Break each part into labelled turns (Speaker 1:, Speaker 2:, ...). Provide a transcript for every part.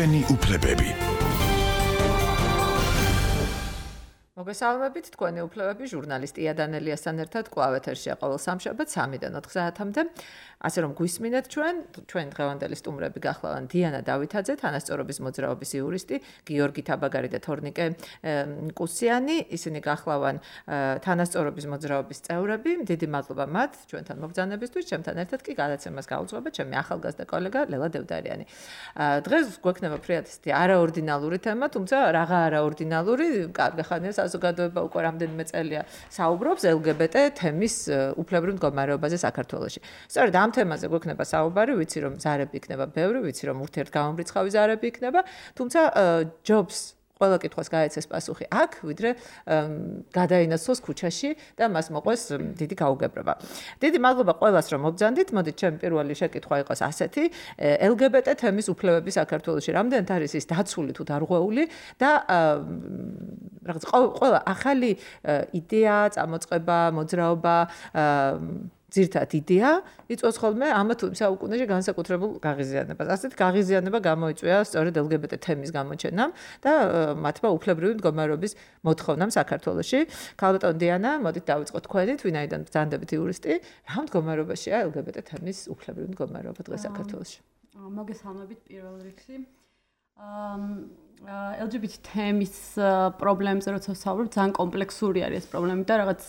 Speaker 1: ჩვენი უფლებები.
Speaker 2: მოგესალმებით, თქვენი უფლებები ჟურნალისტი იანელიასთან ერთად კვლავ ეთერშია ყოველ სამშაბათს 3-დან 4 საათამდე. ასე რომ გვისმინეთ ჩვენ დღევანდელი სტუმრები გახლავენ დიანა დავითაძე, თანასწორობის მოძრაობის იურისტი, გიორგი თაბაგარი და თორნიკე კუსიანი, ისინი გახლავენ თანასწორობის მოძრაობის წევრები. დიდი მადლობა მათ ჩვენთან მობრძანებისთვის, ჩემთან ერთად კი გადაცემას გაუძღვება ჩემი ახალგაზრდა კოლეგა ლელა დევდარიანი. დღეს გვექნება ფრიათისტი არაორდინალური თემა, თუმცა რაღა არაორდინალური, კარგი ხანია საზოგადოება უკვე რამდენიმე წელია საუბრობს LGBT თემის უფლებრივ მდგომარეობაზე საქართველოში. სწორედ ამ თემაზე გვექნება საუბარი, ვიცი რომ ზარები იქნება ბევრი, ვიცი რომ ურთიერთგამომრიცხავი ზარები იქნება, თუმცა ჯობს ყველა კითხვას გაეცეს პასუხი აქ, ვიდრე გადაინაცვლოს ქუჩაში და მას მოყვეს დიდი გაუგებრობა. დიდი მადლობა ყველას რომ მობრძანდით. მოდით ჩემი პირველი შეკითხვა იყოს ასეთი: LGBT თემის უფლებები საქართველოში რამდენად არის ის დაცული თუ დარღვეული და რაღაც ყველა ახალი იდეა, წამოწყება, მოძრაობა ძირთად იდეა იწვევს ხოლმე ამა თუ იმ საუკუნეში განსაკუთრებულ გაღიზიანებას. ასეთ გაღიზიანება გამოიწვია სწორედ LGBT თემის გამოჩენამ და მათმა უფლებრივი მდგომარეობის მოთხოვნამ საქართველოში. ქალბატონი დიანა, მოდით დავიწყოთ თქვენით, ვინაიდან ბრძანდებით იურისტი, რა მდგომარეობაშია LGBT თემის უფლებრივი მდგომარეობა დღეს საქართველოში?
Speaker 3: მოგესალმებით პირველ რიგში. LGBT თემის პრობლემებზე როცა ვსაუბრობ, ძალიან კომპლექსური არის ეს პრობლემა და რაღაც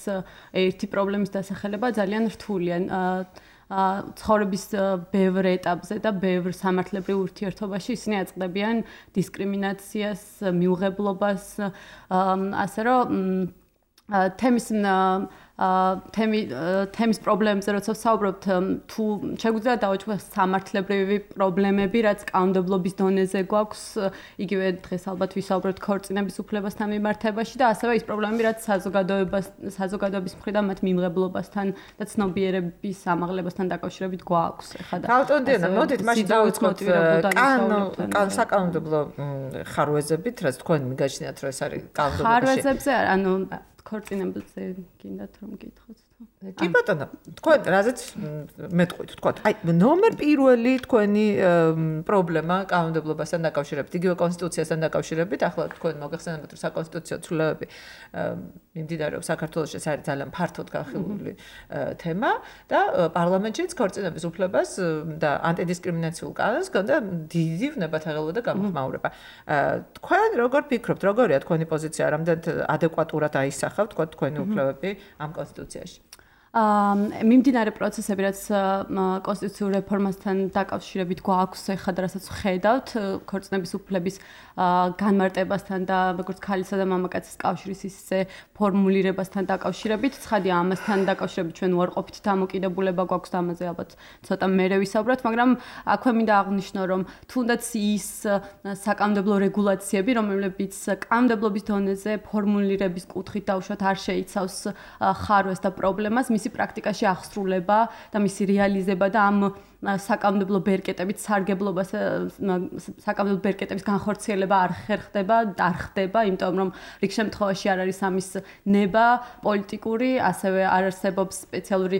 Speaker 3: ერთი პრობლემის დასახელება ძალიან რთულია. ცხოვრების ბევრ ეტაპზე და ბევრ სამართლებრივ ურთიერთობაში ისინი აწყდებიან დისკრიმინაციას, მიუღებლობას, ასე რომ თემის პრობლემებზე როცა ვსაუბრობთ, თუ შეგვიძლია დავაჩვენოთ სამართლებრივი პრობლემები, რაც კანონმდებლობის დონეზე გვაქვს, იგივე დღეს ალბათ ვისაუბრებთ ქორწინების უფლებასთან მიმართებაში და ასევე ის პრობლემები, რაც საზოგადოების მხრიდან მათ მიმღებლობასთან და ცნობიერების ამაღლებასთან დაკავშირებით გვაქვს.
Speaker 2: ქალბატონი დიანა, მოდით მაშინ დავიწყოთ საკანონმდებლო ხარვეზებით, რაც თქვენ მიგაჩნიათ, რომ ეს არის კანონმდებლობაში.
Speaker 3: ხარვეზებზე, ანუ ქორწინებაზე გინდათ რომ გითხოთ.
Speaker 2: კი ბატონო, თქვენ რაზეც მეტყვით, თქვათ, აი ნომერ პირველი თქვენი პრობლემა კანონმდებლობასთან დაკავშირებით, იგივე კონსტიტუციასთან დაკავშირებით, ახლა თქვენ მოგეხსენებათ, რომ საკონსტიტუციო ცვლილებები მიმდინარეობს საქართველოში, ეს არის ძალიან ფართოდ განხილული თემა და პარლამენტშიც ქორწინების უფლებას და ანტიდისკრიმინაციულ კანონს ჰქონდა დიდი ვნებათაღელვა და გამოხმაურება. თქვენ როგორ ფიქრობთ, როგორია თქვენი პოზიცია, რამდენად ადეკვატურად აისახავთ თქვენი უფლებები ამ კონსტიტუციაში?
Speaker 3: მიმდინარე პროცესები, რაც კონსტიტუციურ რეფორმასთან დაკავშირებით გვაქვს ახლა და რასაც ვხედავთ, ქორწინების უფლების განმარტებასთან და როგორც ქალისა და მამაკაცის კავშირის ისე ფორმულირებასთან დაკავშირებით, ცხადია ამასთან დაკავშირებით ჩვენ უარყოფით დამოკიდებულება გვაქვს და ამაზე ალბათ ცოტა მერე ვისაუბროთ, მაგრამ აქვე მინდა აღვნიშნო, რომ თუნდაც ის საკანონმდებლო რეგულაციები, რომლებიც კანონმდებლობის დონეზე ფორმულირების კუთხით დაუშვათ არ შეიცავს ხარვეს და პრობლემას, მისი პრაქტიკაში აღსრულება და მისი რეალიზება და ამ საკანონმდებლო ბერკეტებით სარგებლობას, საკანონმდებლო ბერკეტების განხორციელება არ ხდება, იმიტომ რომ რიგ შემთხვევაში არ არის ამის ნება პოლიტიკური, ასევე არ არსებობს სპეციალური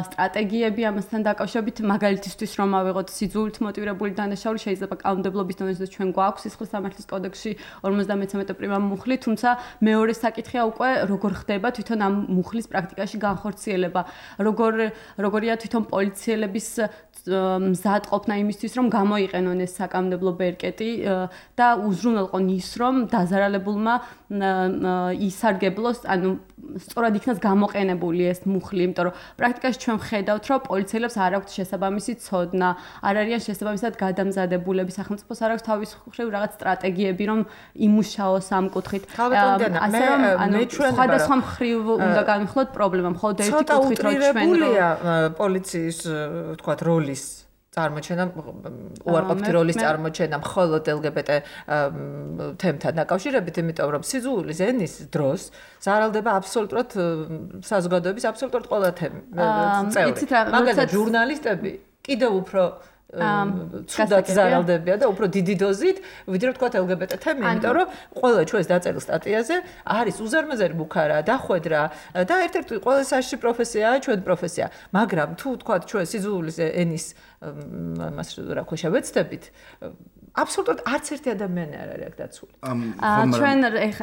Speaker 3: სტრატეგიები ამასთან დაკავშირებით, მაგალითისთვის რომ ავიღოთ სიძულით მოტივირებული დანაშაული, შეიძლება კანონმდებლობის დონეზე ჩვენ გვაქვს სისხლის სამართლის კოდექსში 53 პრიმა მუხლი, თუმცა მეორე საკითხია უკვე როგორ ხდება თვითონ ამ მუხლის პრაქტიკაში განხორციელება, როგორია თვითონ პოლიციელების მზადყოფნა იმისთვის, რომ გამოიყენონ ეს საკანონმდებლო ბერკეტი და უზრუნველყონ ის, რომ დაზარალებულმა ისარგებლოს, ანუ სწორად იქნას გამოყენებული ეს მუხლი, იმიტომ რომ პრაქტიკაში ჩვენ ვხედავთ, რომ პოლიციელებს არ აქვთ შესაბამისი ცოდნა, არ არიან შესაბამისად გადამზადებულები, სახელმწიფოს არ აქვს თავის მხრივ რაღაც სტრატეგიები, რომ იმუშაოს ამ კუთხით.
Speaker 2: ასე რომ,
Speaker 3: სხვადასხვა მხრივ უნდა განვიხილოთ პრობლემა, მხოლოდ ერთი კუთხით რომ ჩვენ
Speaker 2: პოლიციის, თქვათ, როლის წარმოჩენა, უარყოფითი როლის წარმოჩენა მხოლოდ LGBT თემთან დაკავშირებით, იმიტომ რომ სიძულვის ენის დროს ზარალდება აბსოლუტურად საზოგადოების აბსოლუტურად ყველა წევრი. მაგალითად, ჟურნალისტები კიდევ უფრო ცუდად ზარალდებიან და უფრო დიდი დოზით, ვიდრე ვთქვათ LGBT თემი, იმიტომ რომ ყველა ჩვენს დაწერილ სტატიაზე არის უზარმაზარი ბუქარა, დახვედრა და ერთ-ერთი ყველა საშიში პროფესიაა ჩვენი პროფესია. მაგრამ თუ ვთქვათ ჩვენ სიძულვის ენის მას რა ქვია შევეცდებით, აბსოლუტურად არც ერთი ადამიანი არ არის აქ დაცული.
Speaker 3: ჩვენ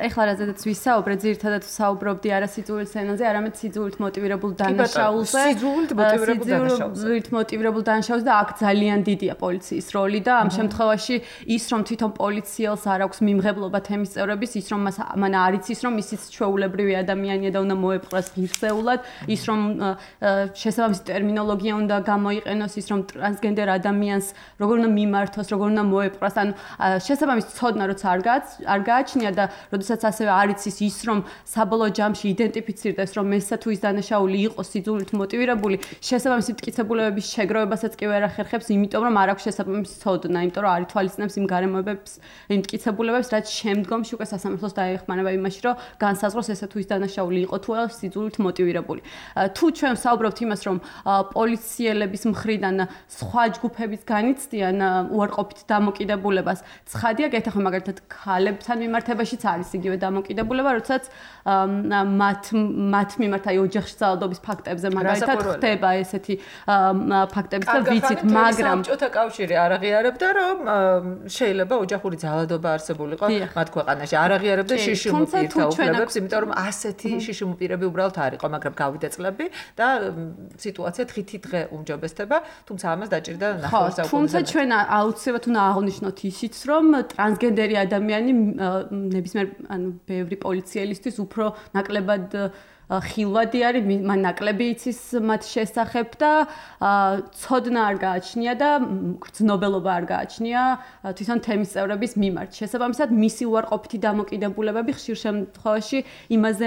Speaker 3: ეხლა რაზედაც ვისაუბრეთ, ძირითადად ვსაუბრობდი არა სიძულვილ სცენაზე, არამედ სიძულვილთ მოტივირებულ დანაშაულზე. სიძულვილთ მოტივირებულ დანაშაულზე და აქ ძალიან დიდია პოლიციის როლი და ამ შემთხვევაში ის რომ თვითონ პოლიციელს არ აქვს მიმღებლობა თემის წევრების, ის რომ მან არ იცის რომ ისიც ჩვეულებრივი ადამიანია და უნდა მოეპყრას ღირსეულად, ის რომ შესაბამისი ტერმინოლოგია უნდა გამოიყენოს, ის რომ ტრანსგენდერ ადამიანს როგორ უნდა მიმართოს, როგორ უნდა მოეპყრას, ანუ შესაბამისი ცოდნა როცა არ გააჩნია და როდესაც ასევე არ იცის ის რომ საბოლოო ჯამში იდენტიფიცირდეს რომ ესა თუ ის დანაშაული იყოს სიძულვილთ მოტივირებული, შესაბამისი მტკიცებულებების შეგროვებასაც კი ვერ ახერხებს, იმიტომ რომ არ აქვს შესაბამისი ცოდნა, იმიტომ რომ არ ითვალისწინებს იმ გარემოებებს, იმ მტკიცებულებებს, რაც შემდგომში უკვე სასამართლოს დაეხმანება იმაში, რომ განსაზღვროს ესა თუ ის დანაშაული იყო თუ არა სიძულვილთ მოტივირებული. თუ ჩვენ ვსაუბრობთ იმას, რომ პოლიციელების მხრიდან სხვა ჯგუფებიც განიცდიან უარყოფით დამოკიდებულებას, ცხადია, გეთახმე მაგალითად ქალებთან მიმართებაშიც არის იგივე დამოკიდებულება, როდესაც მათ მიმართ აი ოჯახში ძალადობის ფაქტებზე მაგალითად ხდება ესეთი ფაქტები და ვიცით, მაგრამ
Speaker 2: საბჭოთა კავშირი არ აღიარებდა, რომ შეიძლება ოჯახური ძალადობა არსებულიყო მათ ქვეყანაში. არ აღიარებდა შიშიმ პირთა უფლებებს, იმიტომ რომ ასეთი შიშიმ პირები უბრალოდ არ იყო, მაგრამ გავიდა წლები და სიტუაცია დღითი დღე უმჯობესდება, თუმცა ამას დაჭირდა ნახევარ საუკუნეზე.
Speaker 3: თუმცა ჩვენ აუცილებლად უნდა აღვნიშნოთ ისიც, რომ ტრანსგენდერი ადამიანი ნებისმიერ ბევრი პოლიციელისთვის უფრო ნაკლებად ხილვადი არის, მან ნაკლები იცის მათ შესახებ და ცოდნა არ გააჩნია და გრძნობელობა არ გააჩნია თვითონ თემის წევრების მიმართ. შესაბამისად, მისი უარყოფითი დამოკიდებულებები ხშირ შემთხვევაში იმაზე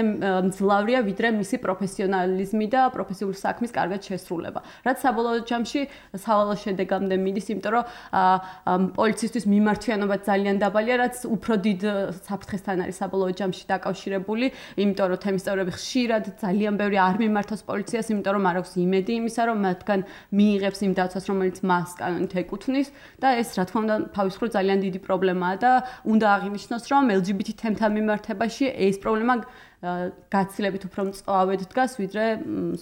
Speaker 3: მძლავრია, ვიდრე მისი პროფესიონალიზმი და პროფესიული საქმის კარგად შესრულება. რაც საბოლოო ჯამში სავალალო შედეგამდე მიდის, იმიტომ რომ პოლიცისთვის მიმართვიანობა ძალიან დაბალია, რაც უფრო დიდ საფრთხესთან არის საბოლოო ჯამში დაკავშირებული, იმიტომ რომ თემის წევრები ხშირად ძალიან ბევრი არ მიმართოს პოლიციას, იმიტომ რომ არ აქვს იმედი იმისა, რომ მათგან მიიღებს იმ დაცვას, რომელიც მას კანონით ეკუთვნის და ეს რა თქმა უნდა თავის მხრივ ძალიან დიდი პრობლემაა და უნდა აღინიშნოს, რომ LGBT თემთან მიმართებაში ეს პრობლემა გაცილებით უფრო მწვავედ დგას, ვიდრე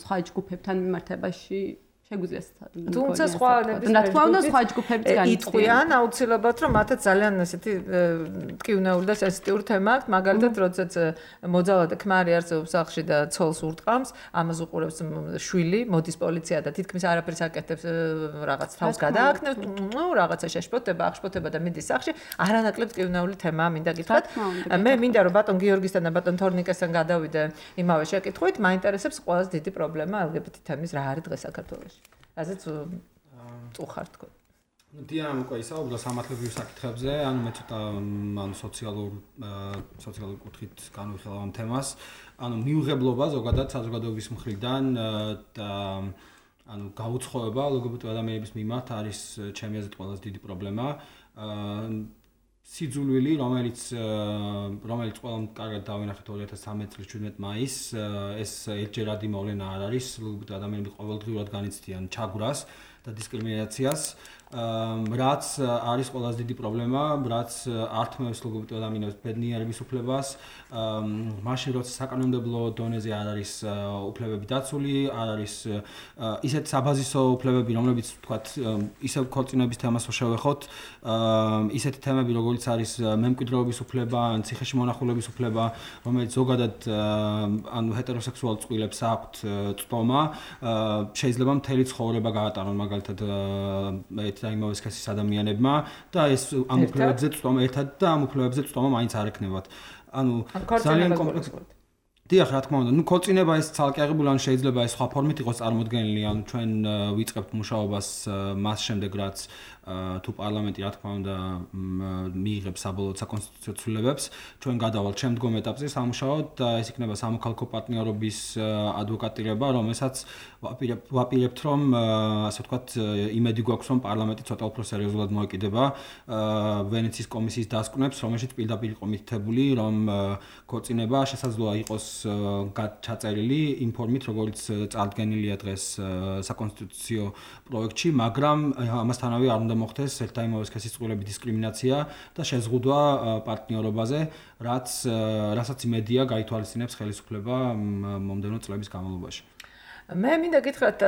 Speaker 3: სხვა ჯგუფებთან მიმართებაში. შეგვიძლია
Speaker 2: თუმცა სხვა
Speaker 3: ჯგუფებიც
Speaker 2: იტყვიან აუცილებლად რომ მათაც ძალიან ესეთი ტკივნეული და სენსიტიური თემა აქვს მაგალითად როდესაც მოძალადე ქმარი არსებობს სახლში და ცოლს ურტყამს ამას უყურებს შვილი მოდის პოლიცია და თითქმის არაფერს აკეთებს რაღაც თავს გადააქნევს რაღაცა შეშფოთება აღშფოთება და მიდის სახლში არანაკლებ ტკივნეული თემაა მინდა გითხრათ მე მინდა რომ ბატონ გიორგისთან და ბატონ თორნიკესთან გადავიდე იმავე შეკითხვით მაინტერესებს ყველაზე დიდი პრობლემა LGBT თემის რა არის დღეს საქართველოში ასეც უხარ თქო.
Speaker 1: დიანა უკვე ისაუბრა სამართლებრივ საკითხებზე, ანუ მე ცოტა სოციალური კუთხით განვიხილავ ამ თემას. ანუ მიუღებლობა ზოგადად საზოგადოების მხრიდან და ანუ გაუცხოება LGBT ადამიანების მიმართ არის ჩემი აზრით ყველაზე დიდი პრობლემა. სიძულვილი, რომელიც ყველამ კარგად დავინახეთ 2013 წლის 17 მაისს, ეს ერთჯერადი მოვლენა არ არის, LGBT ადამიანები ყოველდღიურად განიცდიან ჩაგვრას და დისკრიმინაციას, რაც არის ყველაზე დიდი პრობლემა, რაც ართმევს LGBT ადამიანებს ბედნიერების უფლებას, მაშინ როცა საკანონმდებლო დონეზე არ არის უფლებები დაცული, არ არის ისეთ საბაზისო უფლებები, რომლებიც ვთქვათ, ისევ ქორწინების თემას შევეხოთ, ისეთი თემები, როგორც არის მემკვიდრეობის უფლება, ან ციხეში მონახულების უფლება, რომელიც ზოგადად ანუ ჰეტეროსექსუალ წყვილებს აქვთ წტომა, შეიძლება მთელი ცხოვრება გაატარონ მაგალითად ერთ და იმავე სქესის ადამიანებმა და ეს ამ უფლებებზე წტომა ერთად და ამ უფლებებზე წტომა მაინც არ ექნებათ. ანუ ძალიან კომპლექსური. დიახ, რა თქმა უნდა, ნუ ქორწინება ეს ცალკე აღებული, ან შეიძლება ეს სხვა ფორმით იყოს წარმოდგენილი, ანუ ჩვენ ვიწყებთ მუშაობას მას შემდეგ, რაც თუ პარლამენტი რა თქმა უნდა მიიღებს საბოლოო საკონსტიტუციო ცვლილებებს, ჩვენ გადავალთ შემდგომ ეტაპზე სამუშაოდ და ეს იქნება სამოქალაქო პარტნიორობის ადვოკატირება, რომელსაც ვაპირებთ, რომ ასე ვთქვათ, იმედი გვაქვს, რომ პარლამენტი ცოტა უფრო სერიოზულად მოეკიდება ვენეციის კომისიის დასკვნებს, რომელშიც პირდაპირ იყო მითითებული, რომ ქორწინება შესაძლოა იყოს ჩაწერილი იმ ფორმით, როგორც წარდგენილია დღეს საკონსტიტუციო პროექტში, მაგრამ ამასთანავე არ უნდა მოხდეს ერთ და იმავე სქესის წყვილების დისკრიმინაცია და შეზღუდვა პარტნიორობაზე, რასაც იმედია გაითვალისწინებს ხელისუფლება მომდევნო წლების განმავლობაში.
Speaker 2: მე მინდა გითხრათ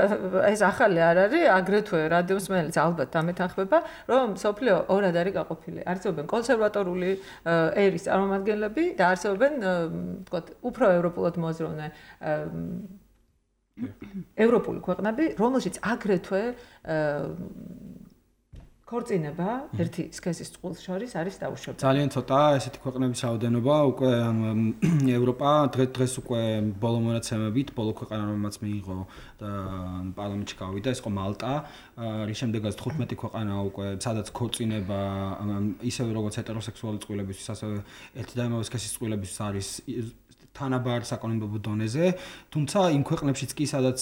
Speaker 2: ეს ახალი არ არის აგრეთვე რადიოსმენელიც ალბათ დამეთანხმება რომ სოფლიო ორად არის გაყოფილი არსებობენ კონსერვატორული ერის წარმომადგენლები და არსებობენ თქვათ უფრო ევროპულად მოაზროვნე ევროპული ქვეყნები რომელშიც აგრეთვე ქორწინება ერთი სქესის წყვილს შორის არის დაუშვებელი.
Speaker 1: ძალიან ცოტა ესეთი ქვეყნების რაოდენობა, უკვე ევროპა დღეს უკვე ბოლო მონაცემებით, ბოლო ქვეყანა რომელმაც მიიღო და პარლამენტში გავიდა, ეს იყო მალტა, რის შემდეგაც 15 ქვეყანა უკვე სადაც ქორწინება ისევე როგორც ჰეტეროსექსუალური წყვილებისთვის, ასევე ერთი და იმავე სქესის წყვილებისთვის არის თანაბარ საკანონმდებლო დონეზე, თუმცა იმ ქვეყნებშიც კი სადაც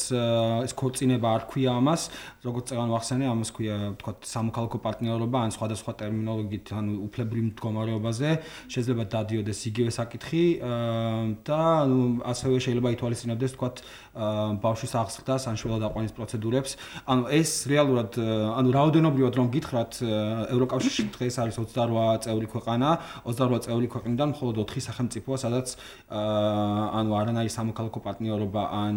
Speaker 1: ეს ქორწინება არ ქვია ამას, როგორც წეგან ვახსენე, ამას ქვია, თქვათ, სამოქალაქო პარტნიორობა, ან სხვადასხვა ტერმინოლოგიით, ანუ უფლებრივ მდგომარეობაზე, შეიძლება დადიოდეს იგივე საკითხი და ასევე შეიძლება ითვალისწინებდეს, თქვათ, ბავშვის აღზრდას ან შვილად აყვანის პროცედურებს. ანუ ეს რეალურად, ანუ რაოდენობრივად რომ გითხრათ, ევროკავშირში დღეს არის 28 წევრი ქვეყანა, 28 წევრი ქვეყნიდან მხოლოდ 4 სახელმწიფოა, სადაც ანუ არანაირი სამოქალაქო პარტნიორობა ან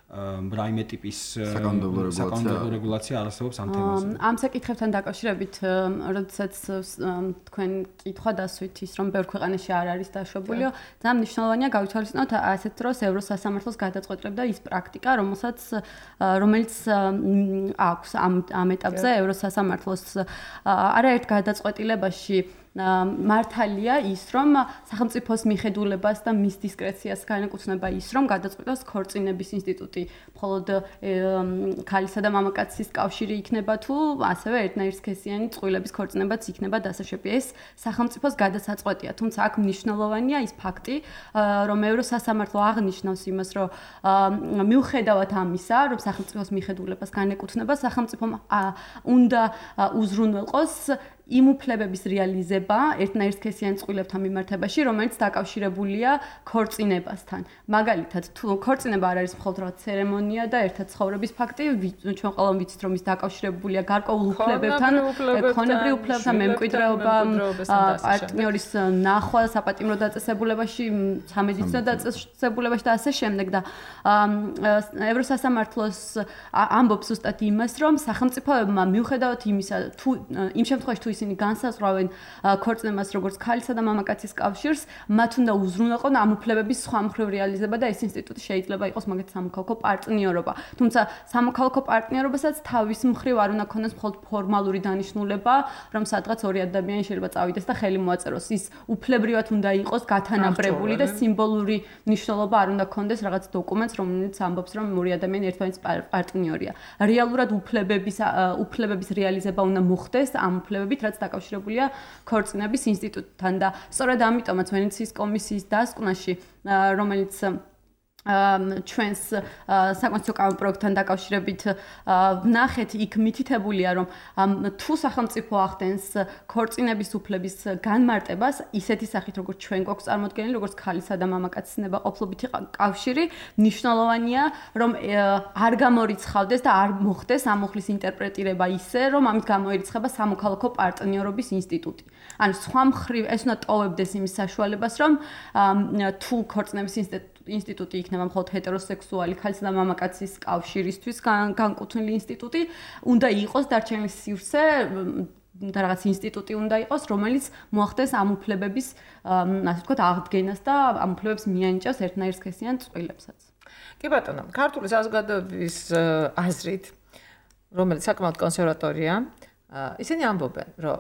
Speaker 1: რაიმე ტიპის საკანონმდებლო რეგულაცია არ არსებობს ამ თემაზე.
Speaker 3: ამ საკითხებთან დაკავშირებით, როდესაც თქვენ კითხვა დასვით ის რომ ბევრ ქვეყანაში არ არის დაშვებულიო, ძალიან მნიშვნელოვანია გავითვალისწინოთ ასეთ დროს ევროსასამართლოს გადაწყვეტილებდა ის პრაქტიკა, რომელიც აქვს ამ ეტაპზე ევროსასამართლოს არაერთ გადაწყვეტილებაში მართალია ის, რომ სახელმწიფოს მიხედულებას და მის დისკრეციას განეკუთვნება ის, რომ გადაწყვეტოს ქორწინების ინსტიტუტი მხოლოდ ქალისა და მამაკაცის კავშირი იქნება თუ ასევე ერთნაირსქესიანი წყვილების ქორწინებაც იქნება დასაშვები. ეს სახელმწიფოს გადასაწყვეტია, თუმცა აქ მნიშვნელოვანია ის ფაქტი, რომ ევროსასამართლო აღნიშნავს იმას, რომ მიუხედავად ამისა, რომ სახელმწიფოს მიხედულებას განეკუთვნება, სახელმწიფომ უნდა უზრუნველყოს იმ უფლებების რეალიზება ერთნაირსქესიან წყვილებთან მიმართებაში, რომელიც დაკავშირებულია ქორწინებასთან. მაგალითად, თუ ქორწინება არ არის მხოლოდ რა ცერემონია და ერთად ცხოვრების ფაქტი, ჩვენ ყველამ ვიცით, რომ ის დაკავშირებულია გარკვეულ უფლებებთან, ქონებრივ უფლებებთან, მემკვიდრეობა, პარტნიორის ნახვა, საპატიმრო დაწესებულებაში, სამედიცინო დაწესებულებაში და ასე შემდეგ და ევროსასამართლოს ამბობს ზუსტად იმას, რომ სახელმწიფოებმა მიუხედავად იმისა, თუ იმ შემთხვევაში თუ ისინი განსაზღვრავენ ქორწინებას როგორც ქალისა და მამაკაცის კავშირს, მათ უნდა უზრუნველყონ ამ უფლებების სხვა მხრივ რეალიზება და ეს ინსტიტუტი შეიძლება იყოს მაგათ სამოქალაქო პარტნიორობა. თუმცა სამოქალაქო პარტნიორობასაც თავის მხრივ არ უნდა ქონდეს მხოლოდ ფორმალური დანიშნულება, რომ სადღაც ორი ადამიანი შეიძლება წავიდეს და ხელი მოაწეროს. ის უფლებრივად უნდა იყოს გათანაბრებული და სიმბოლური მნიშვნელობა არ უნდა ქონდეს რაღაც დოკუმენტს, რომელიც ამბობს, რომ ორი ადამიანი ერთმანეთის პარტნიორია. რეალურად უფლებების რეალიზება უნდა მოხდეს ამ უფლებებით, რაც დაკავშირებულია ქორწინების ინსტიტუტთან და სწორედ ამიტომაც ვენეციის კომისიის დასკვნაში, რომელიც ჩვენს საკონსტიტუციო კანონპროექტთან დაკავშირებით ვნახეთ, იქ მითითებულია, რომ თუ სახელმწიფო ახდენს ქორწინების უფლების განმარტებას, ისეთი სახით, როგორც ჩვენ გვაქვს წარმოდგენილი, როგორც ქალისა და მამაკაცის ნებაყოფლობითი კავშირი, მნიშვნელოვანია, რომ არ გამორიცხავდეს და არ მოხდეს ამ უხლის ინტერპრეტირება ისე, რომ ამით გამოირიცხება სამოქალაქო პარტნიორობის ინსტიტუტი. ანუ სხვა მხრივ ეს უნდა ტოვებდეს იმის საშუალებას, რომ თუ ქორწინების ინსტიტუტი იქნება მხოლოდ ჰეტეროსექსუალი ქალისა და მამაკაცის კავშირისთვის განკუთვნილი ინსტიტუტი, უნდა იყოს დარჩენილი სივრცე და რაღაც ინსტიტუტი უნდა იყოს, რომელიც მოახდეს ამ უფლებების, ასე ვთქვათ, აღდგენას და ამ უფლებებს მიანიჭებს ერთნაირსქესიან წყვილებსაც.
Speaker 2: კი ბატონო, ქართული საზოგადოების აზრით, რომელიც საკმაოდ კონსერვატორია, ისინი ამბობენ, რომ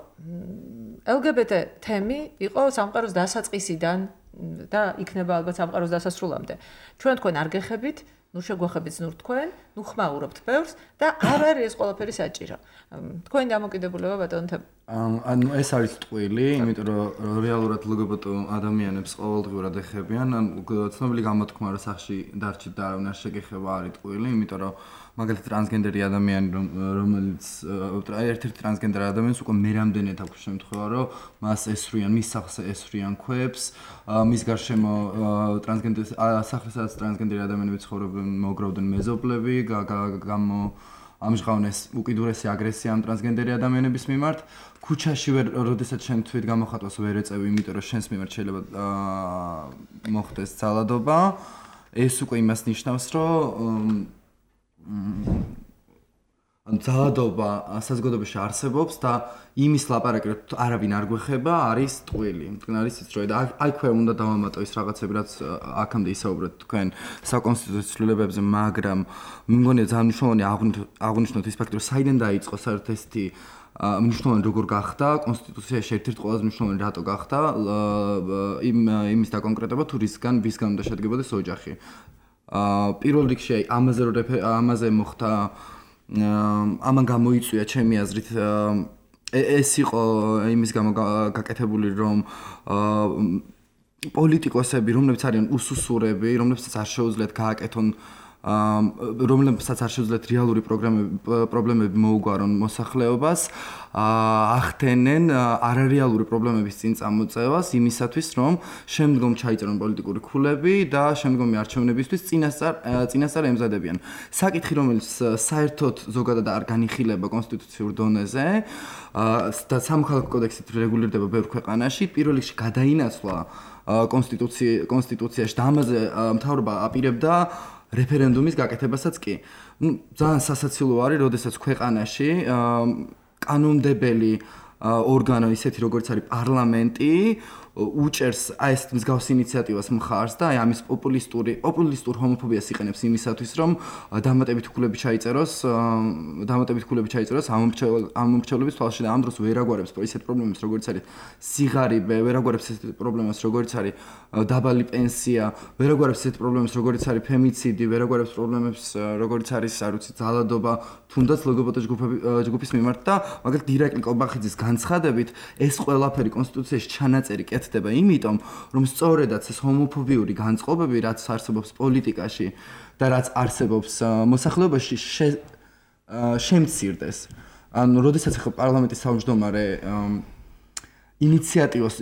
Speaker 2: LGBT თემი იყო სამყაროს დასაწყისიდან და იქნება ალბათ სამყაროს დასასრულამდე. ჩვენ თქვენ არ გეხებით, ნუ შეგვახებით ნუ თქვენ, ნუ ხმაურობთ ბევრს და არ არის ეს ყველაფერი საჭირო. თქვენი დამოკიდებულება ბატონო
Speaker 4: ანუ ეს არის ტყვილი, იმიტომ რომ რეალურად LGBT ადამიანებს ყოველდღიურად ეხებიან, ცნობილი გამოთქმა რა სახში დარჩით და არავინ არ შეგეხება არის ტყვილი, იმიტომ რომ მაგალითად ტრანსგენდერი ადამიანი რომელიც ერთ-ერთი ტრანსგენდერი ადამიანს უკვე მერამდენეთ აქვს შემთხვევა რომ მას ესვრიან, მის სახლს ესვრიან ქვებს, მის გარშემო ტრანსგენდერი სახლის ტრანსგენდერი ადამიანები ცხოვრობენ, მოგროვდნენ მეზობლები, ამჟღავნეს უკიდურესი აგრესია ამ ტრანსგენდერი ადამიანების მიმართ. ქუჩაში როდესაც შენ თვით გამოხატავს ვერ ეწევი, იმიტომ რომ შენს მიმართ შეიძლება მოხდეს ძალადობა. ეს უკვე იმას ნიშნავს, რომ ძალადობა საზოგადოებაში არსებობს და იმის ლაპარაკი, რომ არავინ არ გვეხება, არის ტყუილი. მტკნარი სიცრუე და აიქვე უნდა დავამატო ის რაღაცები, რაც აქამდე ისაუბრეთ თქვენ საკონსტიტუციო ცვლილებებზე, მაგრამ მე მგონია ძალიან მნიშვნელოვანი აღვნიშნოთ ის ფაქტი, რომ საიდან დაიწყო საერთოდ ესეთი მნიშვნელოვანი როგორ გახდა კონსტიტუციაში ერთ-ერთი ყველაზე მნიშვნელოვანი რატო გახდა იმის დაკონკრეტება თუ ვისგან უნდა შედგებოდეს ოჯახი. პირველ რიგში ამაზე მოხდა ამან გამოიწვია ჩემი აზრით ეს იყო იმის გამო გაკეთებული რომ პოლიტიკოსები რომლებიც არიან უსუსურები რომლებსაც არ შეუძლიათ გააკეთონ რომლებსაც არ შეუძლიათ რეალური პრობლემები მოუგვარონ მოსახლეობას ახდენენ არარეალური პრობლემების წინ წამოწევას იმისათვის რომ შემდგომ ჩაიწერონ პოლიტიკური ქულები და შემდგომი არჩევნებისთვის წინასწარ ემზადებიან საკითხი რომელიც საერთოდ ზოგადად არ განიხილება კონსტიტუციურ დონეზე და სამოქალაქო კოდექსით რეგულირდება ბევრ ქვეყანაში პირველ რიგში გადაინაცვლა კონსტიტუციაში და ამაზე მთავრობა აპირებდა რეფერენდუმის გაკეთებასაც კი. ძალიან სასაცილო არის, როდესაც ქვეყანაში კანონმდებელი ორგანო ისეთი როგორც არის პარლამენტი უჭერს აი ეს მსგავს ინიციატივას მხარს და აი ამის პოპულისტურ ჰომოფობიას იყენებს იმისათვის რომ დამატებით ქულები ჩაიწეროს ამომრჩევლების თვალში და ამ დროს ვერ აგვარებს ისეთ პრობლემებს როგორც არის სიღარიბე, ვერ აგვარებს ისეთ პრობლემას როგორც არის დაბალი პენსია, ვერ აგვარებს ისეთ პრობლემებს როგორც არის ფემიციდი, ვერ აგვარებს პრობლემებს როგორც არის არ ვიცი ძალადობა, თუნდაც ლგბტ ჯგუფის მიმართ და მაგალითად დირექტ კობახიძის განცხადებით ეს ყველაფერი კონსტიტუციაში ჩანაწერი ხდება იმიტომ, რომ სწორედაც ეს ჰომოფობიური განწყობები, რაც არსებობს პოლიტიკაში და რაც არსებობს მოსახლეობაში, შემცირდეს. ანუ, როდესაც ახლა პარლამენტის თავმჯდომარე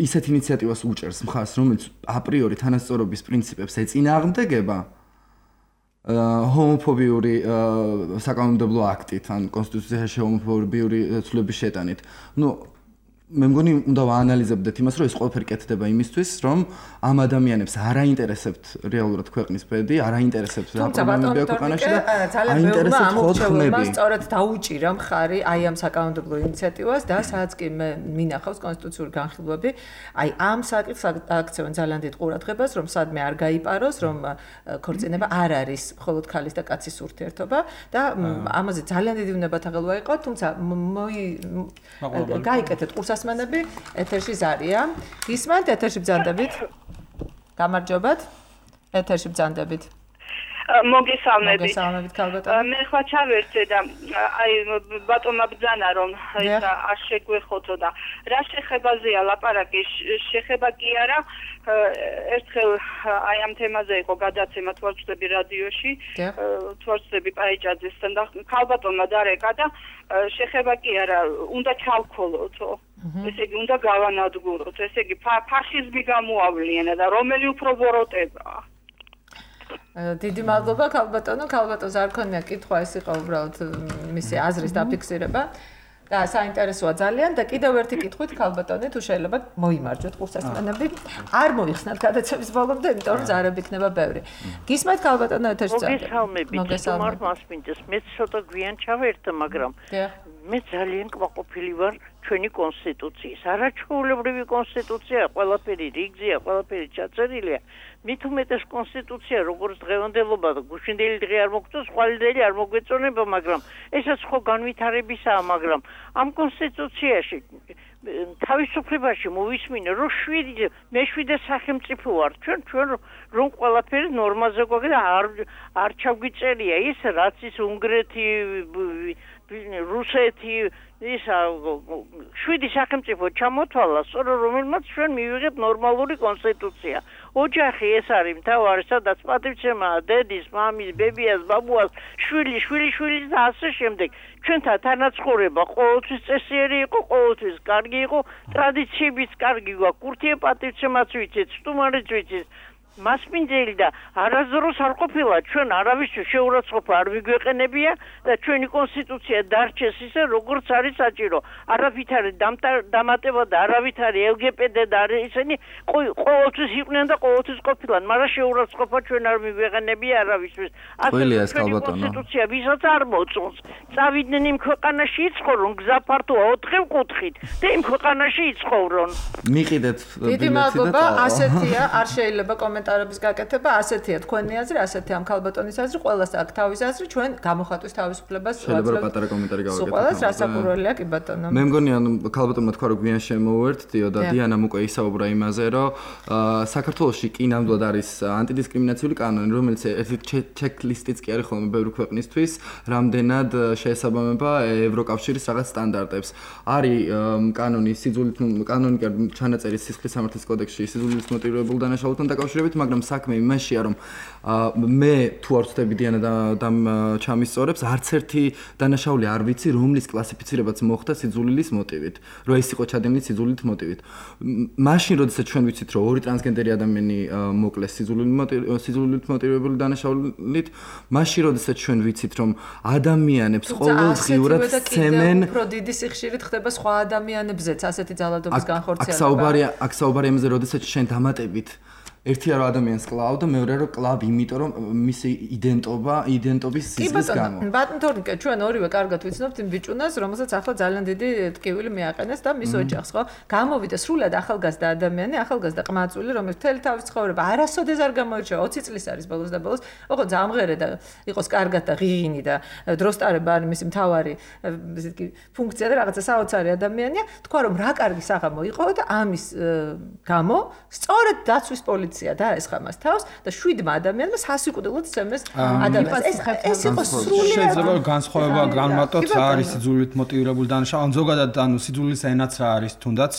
Speaker 4: ისეთ ინიციატივას უჭერს მხარს, რომელიც აპრიორი თანასწორობის პრინციპებს ეწინააღმდეგება, ჰომოფობიური საკანონმდებლო აქტით, ან კონსტიტუციაში ჰომოფობიური ცვლილების შეტანით. მე მგონი უნდა ვაანალიზებდეთ იმას, რომ ეს ყველაფერი კეთდება იმისთვის, რომ ამ ადამიანებს არ აინტერესებთ რეალურად ქვეყნის ბედი, არ აინტერესებთ რა პრობლემებია ქვეყანაში და აინტერესებთ მხოლოდ ხმები.
Speaker 2: სწორედ დაუჭირა მხარი აი ამ საკანონმდებლო ინიციატივას და სადაც კი მე მინახავს კონსტიტუციური განხილვები, აი ამ საკითხს აქცევენ ძალიან დიდ ყურადღებას, რომ სადმე არ გაიპაროს, რომ ქორწინება არ არის მხოლოდ ქალის და კაცის ურთიერთობა და ამაზე ძალიან დიდი უნებათაღელვა იყო, თუმცა გაიკეთეთ ასმენები ეთერში ზარია. გისმენთ ეთერში ბრძანდებით? გამარჯობათ. ეთერში ბრძანდებით.
Speaker 5: მოგესალმებით ქალბატონო. მე ხვა ჩავერთე და აი ბატონმა ბრძანა რომ ეს არ შეგვეხოთო და რა შეხებაზეა ლაპარაკი შეხება კი არა ერთხელ აი ამ თემაზე იყო გადაცემა თვალწვდები რადიოში თვალწვდები პაიჭაძესთან და ქალბატონმა დარეკა და შეხება კი არა უნდა ჩავქოლოთო ესე იგი უნდა გავანადგუროთ ესე იგი ფაშიზმი გამოავლიანა და რომელი უფრო ბოროტებაა
Speaker 2: დიდი მადლობა ქალბატონო ქალბატონს არ ქონია კითხვა ეს იყო უბრალოდ მისი აზრის დაფიქსირება და საინტერესოა ძალიან და კიდევ ერთი კითხვით ქალბატონი თუ შეიძლება მოიმარჯვოთ ყურსასმენები არ მოიხსნათ გადაცემის ბოლომდე იმიტომ რომ ზარები იქნება ბევრი გისმენთ ქალბატონო ეთერში
Speaker 6: მოგესალმებით მასპინძეს მე ცოტა გვიან ჩავერთე მაგრამ მე ძალიან კმაყოფილი ვარ ჩვენი კონსტიტუციის არაჩვეულებრივი კონსტიტუცია ყველაფერი რიგზეა ყველაფერი ჩაწერილია მით უმეტეს კონსტიტუცია როგორც დღევანდელობა და გუშინდელი დღე არ მოგწონს ხვალინდელი არ მოგვეწონება მაგრამ ესაც ხო განვითარებისაა მაგრამ ამ კონსტიტუციაში თავისუფლებაში მოვისმინე რომ მე-7 სახელმწიფო ვარ ჩვენ რომ ყველაფერი ნორმაზე გვაქვს არ ჩაგვიწერია ის რაც ის უნგრეთი რუსეთი ისა 7 სახელმწიფო ჩამოთვალა სწორედ რომელმაც ჩვენ მივიღეთ ნორმალური კონსტიტუცია ოჯახი ეს არის მთავარი სადაც პატივცემაა დედის მამის ბებიას ბაბუას შვილის და ასე შემდეგ ჩვენთან თანაცხოვრება ყოველთვის წესიერი იყო ყოველთვის კარგი იყო ტრადიციებიც კარგი გვაქვს კურთიე პატივცემაც ვიცით სტუმარიც ვიცით მასპინძელი და არასდროს არ ყოფილა ჩვენ არავისთვის შეურაცხყოფა არ ვიგვეყენებია და ჩვენი კონსტიტუცია დარჩეს ისე როგორც არის საჭირო. არავით არის დამატება და არავით არის LGBT და ისინი ყოველთვის იყვნენ და ყოველთვის ყოფილან, მაგრამ შეურაცხყოფა ჩვენ არ ვიგვეყენებია არავისთვის.
Speaker 4: ასე
Speaker 6: კონსტიტუცია ვისაც არ მოწონს. წავიდნენ იმ ქვეყანაში იცხოვრონ, გზა ფართოა 4 კუთხით და იმ ქვეყანაში იცხოვრონ.
Speaker 4: მიყიდეთ
Speaker 2: დიდი მადლობა, ასეთია, არ შეიძლება კომენტარების გაკეთება, ასეთია თქვენი აზრი, ასეთია ამ ქალბატონის აზრი, ყველას აქვს თავის აზრი, ჩვენ გამოხატვის თავისუფლებას
Speaker 4: შეიძლება პატარა კომენტარი გავაკეთოთ.
Speaker 2: ყველას რასაკვირველია კი ბატონო.
Speaker 4: მე მგონი ან ქალბატონმა თქვა რომ გვიან შემოვერთდიო და დიანამ უკვე ისაუბრა იმაზე, რომ საქართველოში კი ნამდვილად არის ანტიდისკრიმინაციული კანონი, რომელიც ერთი ჩეკლისტიც კი არის ხოლმე ბევრი ქვეყნისთვის, რამდენად შეესაბამება ევროკავშირის რაღაც სტანდარტებს. არის კანონი ჩანაწერი სისხლის სამართლის კოდექსში სიძულვილით მოტივირებულ დანაშაულებთან დაკავშირებით, მაგრამ საქმე იმაშია, რომ მე თუ არ ვწდები დიანა და ჩამისწორებს, არც ერთი დანაშაული არ ვიცი, რომლის კლასიფიცირებაც მოხდა სიძულვილის მოტივით, რომ ეს იყო ჩადენილი სიძულვილით მოტივით. მაშინ, როდესაც ჩვენ ვიცით, რომ ორი ტრანსგენდერი ადამიანი მოკლეს სიძულვილით მოტივირებული დანაშაულით, მაშინ, როდესაც ჩვენ ვიცით, რომ ადამიანებს ყოველდღიურად სცემენ
Speaker 2: უფრო დიდი სიხშირით ხდება სხვა ადამიანებზეც ასეთი ძალადობის განხორციელება.
Speaker 4: აქ საუბარია იმაზე, როდესაც შენ დამატებით ერთია რომ ადამიანს კლავ და მეორე რომ კლავ იმიტომ რომ მისი იდენტობის სიზმრის გამო.
Speaker 2: ბატონ თორნიკე, ჩვენ ორივე კარგად ვიცნობთ იმ ბიჭუნას, რომელსაც ახლა ძალიან დიდი ტკივილი მიაყენეს და მის ოჯახს, ხო? გამოვიდა სრულად ახალგაზრდა ადამიანი, ახალგაზრდა ყმაწვილი, რომელიც მთელი თავის ცხოვრება არასოდეს არ გამოირჩევა, 20 წლის არის ბოლოს და ბოლოს, ოღონდ ამღერე და იყოს კარგად და ღიღინი და დროსტარება არის მისი მთავარი ისეთი კი ფუნქცია და რაღაცა საოცარი ადამიანია, თქვა რომ რა კარგი საღამო იყო და ამის გამო სწორედ დაცვის პოლიცია დაესხა მას თავს და 7 ადამიანმა სასიკვდილოდ სცემეს ადამიანს. ეს იყო სრულად
Speaker 1: შეიძლება განსხვავება განმარტოთ რა არის სიძულვილით მოტივირებული დანაშაული, ზოგადად ანუ სიძულვილის ენაც რა არის თუნდაც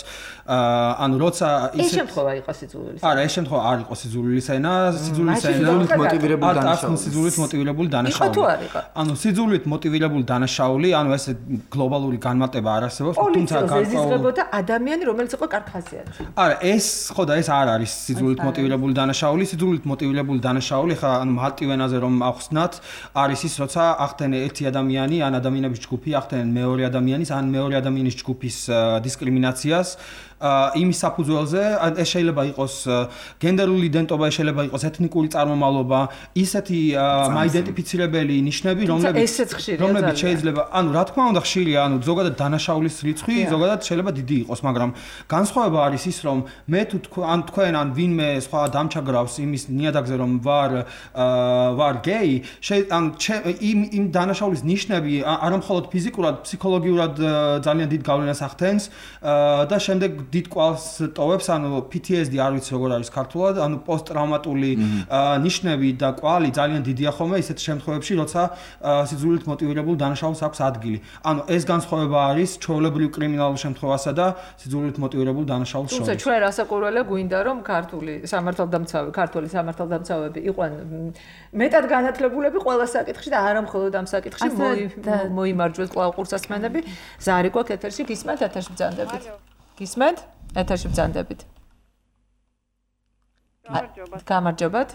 Speaker 1: ანუ როცა
Speaker 2: ეს შემთხვევა იყო სიძულვილის.
Speaker 1: არა, ეს შემთხვევა არ იყო სიძულვილის ენა, სიძულვილის ენა
Speaker 4: მოტივირებული დანაშაული.
Speaker 1: სიძულვილით მოტივირებული დანაშაული.
Speaker 2: იყო თუ არ იყო?
Speaker 1: ანუ სიძულვილით მოტივირებული დანაშაული, ანუ ეს გლობალური განმარტება არ არსებობს,
Speaker 2: თუმცა ეზიზღებოდა ადამიანი, რომელიც იყო კარგხასიათი.
Speaker 1: არა, ეს ხო და ეს არ არის სიძულვილით მოტივირებული დანაშაული, სიძულვილით მოტივირებული დანაშაული, ხა ანუ მალტივენაზე რომ ახსნათ, არის ის, როცა ახდენენ ერთი ადამიანი, ან ადამიანების ჯგუფი ახდენენ მეორე ადამიანის, ან მეორე ადამიანის ჯგუფის დისკრიმინაციას. იმის საფუძველზე ეს შეიძლება იყოს გენდერული იდენტობა, შეიძლება იყოს ეთნიკური წარმომავლობა, ისეთი მაიდენტიფიცირებელი ნიშნები, რომლებიც შეიძლება, ანუ რა თქმა უნდა ხშირია, ანუ ზოგადად დანაშაულის რიცხვი ზოგადად შეიძლება დიდი იყოს, მაგრამ განსხვავება არის ის, რომ მე თუ თქვენ ან ვინმე სხვა დამჩაგრავს იმის ნიადაგზე, რომ ვარ გეი, ანუ იმ დანაშაულის ნიშნები არამხოლოდ ფიზიკურად, ფსიქოლოგიურად ძალიან დიდ გავლენას ახდენს და შემდეგ დიდ კვალს ტოვებს, ანუ PTSD არ ვიცი როგორ არის ქართულად, ანუ პოსტტრაუმატული ნიშნები და კვალი ძალიან დიდია ხოლმე ისეთ შემთხვევებში, როცა სიძულვილით მოტივირებულ დანაშაულს აქვს ადგილი. ანუ ეს განსხვავება არის ჩვეულებრივ კრიმინალურ შემთხვევასა და სიძულვილით მოტივირებულ დანაშაულს შორის.
Speaker 2: თუმცა ჩვენ რასაკვირველია გვინდა რომ ქართული სამართალდამცავები იყვნენ მეტად განათლებულები ყველა საკითხში და არა მხოლოდ ამ საკითხში მოიმარჯვეს კვლავ ყურსასმენები. ზარი გვაქვს ეთერში, გისმენთ ეთერში ბრძანდებით. გისმენთ? ეთერში ბრძანდებით. გამარჯობათ.